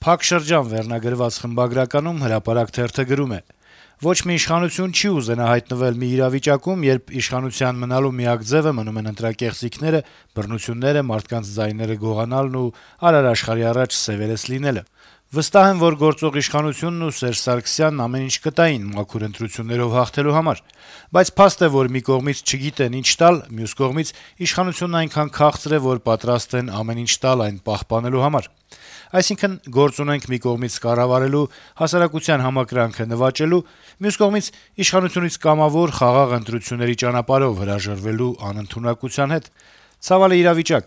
Փակ շրջան վերնագրված խմբագրականում «Հրապարակ» թերթը գրում է. - «Ոչ մի իշխանություն չի ուզենա հայտնվել մի իրավիճակում, երբ իշխանության մնալու միակ ձեւը մնում են ընտրակեղծիքները, բռնությունները, մարդկանց ձայները գողանալն ու արար աշխարհի առաջ սեւերես լինելը: Վստահ եմ, որ գործող իշխանությունն ու Սերժ Սարգսյանն ամեն ինչ կտային մաքուր ընտրություններով հաղթելու համար: Բայց փաստ է, որ մի կողմից չգիտեն ինչ տալ, մյուս կողմից իշխանությունն այնքան քաղցր է, որ պատրաստ են ամեն ինչ տալ այն պահպանելու համար: Այսինքն` գործ ունենք մի կողմից կառավարելու, հասարակության համակրանքը նվաճելու, մյուս կողմից իշխանությունից կամավոր, խաղաղ ընտրությունների ճանապարհով հրաժարվելու անընդունակության հետ: Ցավալի իրավիճակ»: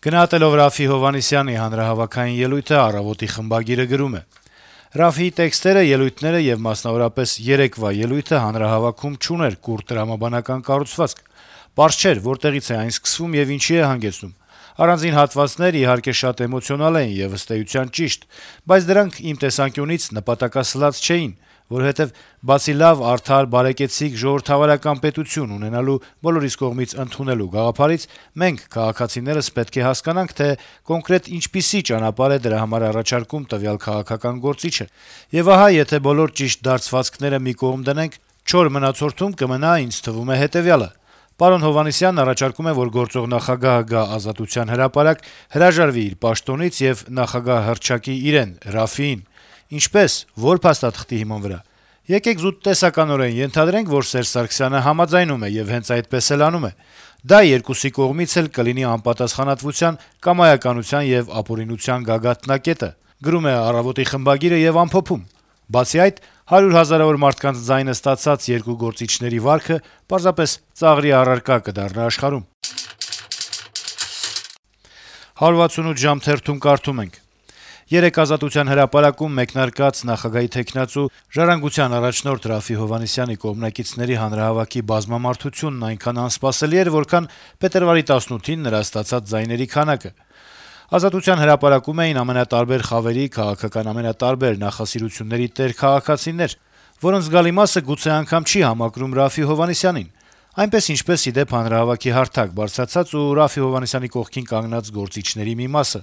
Գնահատելով Րաֆֆի Հովհաննիսյանի հանրահավաքային ելույթը «Առավոտ»-ի խմբագիրը գրում է. - «Րաֆֆիի տեքստերը, ելույթները եւ մասնավորապես երեկվա ելույթը հանրահավաքում չուներ կուռ տրամաբանական կառուցվածք: Պարզ չէր` որտեղից է այն սկսվում եւ ինչի է հանգեցնում: Առանձին հատվածներ, իհարկե, շատ էմոցիոնալ էին եւ ըստ էության ճիշտ, բայց դրանք, իմ տեսանկյունից, նպատակասլաց չէին, որովհետեւ բացի լավ, արդար, բարեկեցիկ, ժողովրդավարական պետություն ունենալու, բոլորիս կողմից ընդունելու գաղափարից, մենք, քաղաքացիներս, պետք է հասկանանք, թե կոնկրետ ինչպիսի ճանապարհ է դրա համար առաջարկում տվյալ քաղաքական գործիչը: Եվ ահա, եթե բոլոր ճիշտ դարձվածքները մի կողմ դնենք, չոր մնացորդում կմնա, ինձ թվում է, հետեւյալը. պարոն Հովհաննիսյանն առաջարկում է, որ գործող նախագահը գա Ազատության հրապարակ, հրաժարվի իր պաշտոնից եւ նախագահ հռչակի իրեն` Րաֆֆիին: Ինչպե՞ս, որ փաստաթղթի հիման վրա: Եկեք զուտ տեսականորեն ենթադրենք, որ Սերժ Սարգսյանը համաձայնում է եւ հենց այդպես էլ անում է: Դա երկուսի կողմից էլ կլինի անպատասխանատվության, կամայականության եւ ապօրինության գագաթնակետը»: Եւ ամփոփում. - «Բացի այդ, 100 հազարավոր մարդկանց ձայնը ստացած երկու գործիչների վարքը պարզապես ծաղրի առարկա կդառնա աշխարհում»: «168 ժամ» թերթում կարդում ենք. - «Երեկ Ազատության հրապարակում մեկնարկած նախագահի թեկնածու, «Ժառանգության» առաջնորդ Րաֆֆի Հովհաննիսյանի կողմնակիցների հանրահավաքի բազմամարդությունն այնքան անսպասելի էր, որքան փետրվարի 18-ին նրա ստացած ձայների քանակը: Ազատության հրապարակում էին ամենատարբեր խավերի, քաղաքական ամենատարբեր նախասիրությունների տեր քաղաքացիներ, որոնց զգալի մասը գուցե անգամ չի համակրում Րաֆֆի Հովհաննիսյանին, այնպես, ինչպես, ի դեպ, հանրահավաքի հարթակ բարձրացած ու Րաֆֆի Հովհաննիսյանի կողքին կանգնած գործիչների մի մասը: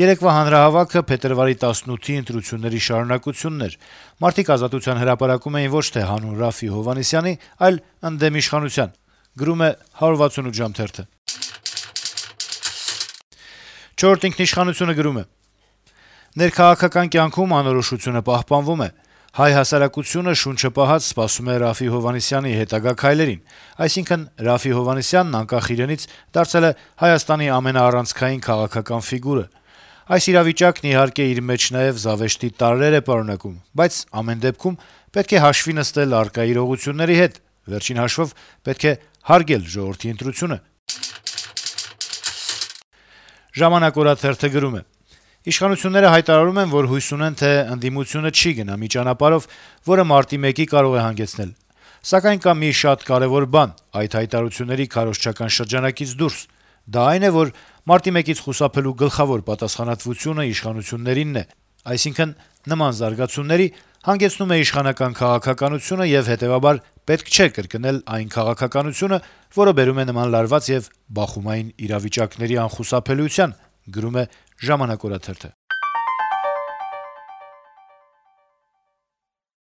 Երեկվա հանրահավաքը փետրվարի 18-ի ընտրությունների շարունակությունն էր: Մարդիկ Ազատության հրապարակում էին ոչ թե հանուն Րաֆֆի Հովհաննիսյանի, այլ ընդդեմ իշխանության»: «Չորրորդ ինքնիշխանություն»-ը գրում է. - «Ներքաղաքական կյանքում անորոշությունը պահպանվում է: Հայ հասարակությունը շունչը պահած սպասում է Րաֆֆի Հովհաննիսյանի հետագա քայլերին: Այսինքն` Րաֆֆի Հովհաննիսյանն, անկախ իրենից, դարձել է Հայաստանի ամենաառանցքային քաղաքական ֆիգուրը: Այս իրավիճակն, իհարկե, իր մեջ նաեւ զավեշտի տարրեր է պարունակում, բայց ամեն դեպքում պետք է հաշվի նստել առկա իրողությունների հետ: Վերջին հաշվով, պետք է հարգել ժողովրդի ընտրությունը»: «Ժամանակ» օրաթերթը գրում է. - «Իշխանությունները հայտարարում են, որ հույս ունեն, թե ընդդիմությունը չի գնա մի ճանապարհով, որը մարտի 1-ի կարող է հանգեցնել: Սակայն կա մի շատ կարեւոր բան այդ հայտարարությունների քարոզչական շրջանակից դուրս: Դա այն է, որ մարտի 1-ից խուսափելու գլխավոր պատասխանատվությունը իշխանություններինն է: Այսինքն, նման զարգացումների հանգեցնում է իշխանական քաղաքականությունը եւ, հետեւաբար, պետք չէ կրկնել այն քաղաքականությունը, որը բերում է նման լարված եւ բախումային իրավիճակների անխուսափելիության»: